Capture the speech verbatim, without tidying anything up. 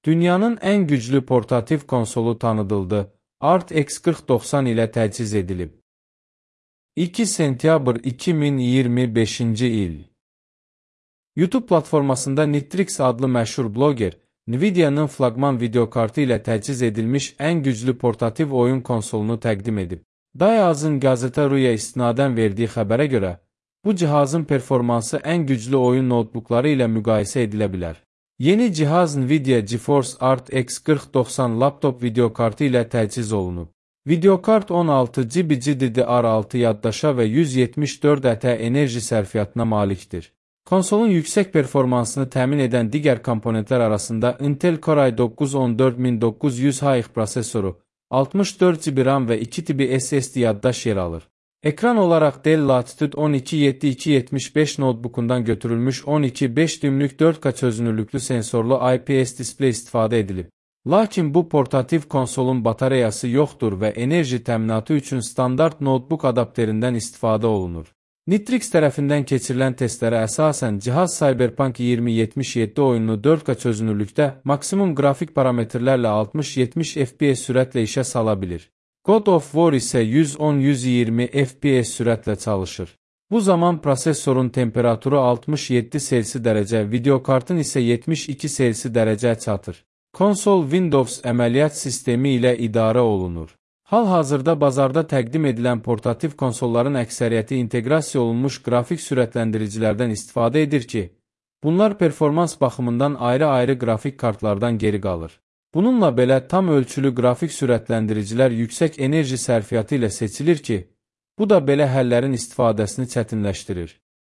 Dünyanın ən güclü portativ konsolu tanıdıldı. R T X qırx doxsan ilə təchiz edilib. iki sentyabr iki min iyirmi beşinci il. YouTube platformasında Nitrix adlı məşhur bloger, Nvidia'nın flaqman videokartı ilə təchiz edilmiş ən güclü portativ oyun konsolunu təqdim edib. Dayaz'ın Gazeta.ru-ya istinadən verdiyi xəbərə görə, bu cihazın performansı ən güclü oyun notebookları ilə müqayisə edilə bilər. Yeni cihaz Nvidia GeForce R T X qırx doxsan laptop videokartı ilə təchiz olunub. Videokart on altı giqabayt G D D R altı yaddaşa və yüz yetmiş dörd ətə enerji sərfiyyatına malikdir. Konsolun yüksək performansını təmin edən digər komponentlər arasında Intel Core i doqquz on dörd min doqquz yüz H X prosesoru, altmış dörd giqabayt RAM və iki tipi S S D yaddaş yer alır. Ekran olaraq Dell Latitude on iki yeddi iki yetmiş beş notebookundan götürülmüş on iki beş düymlük dörd K çözünürlüklü sensorlu I P S displey istifadə edilib. Lakin bu portativ konsolun batareyası yoxdur və enerji təminatı üçün standart notebook adapterindən istifadə olunur. Nitrix tərəfindən keçirilən testlərə əsasən cihaz Cyberpunk iki min yetmiş yeddi oyununu dörd K çözünürlükdə maksimum qrafik parametrlərlə altmış yetmiş F P S sürətlə işə sala bilir. God of War isə yüz on yüz iyirmi F P S sürətlə çalışır. Bu zaman prosesorun temperaturu altmış yeddi Selsi dərəcə, videokartın isə yetmiş iki Selsi dərəcə çatır. Konsol Windows əməliyyat sistemi ilə idarə olunur. Hal-hazırda bazarda təqdim edilən portativ konsolların əksəriyyəti inteqrasiya olunmuş qrafik sürətləndiricilərdən istifadə edir ki, bunlar performans baxımından ayrı-ayrı qrafik kartlardan geri qalır. Bununla belə tam ölçülü qrafik sürətləndiricilər yüksək enerji sərfiyyatı ilə seçilir ki, bu da belə həllərin istifadəsini çətinləşdirir.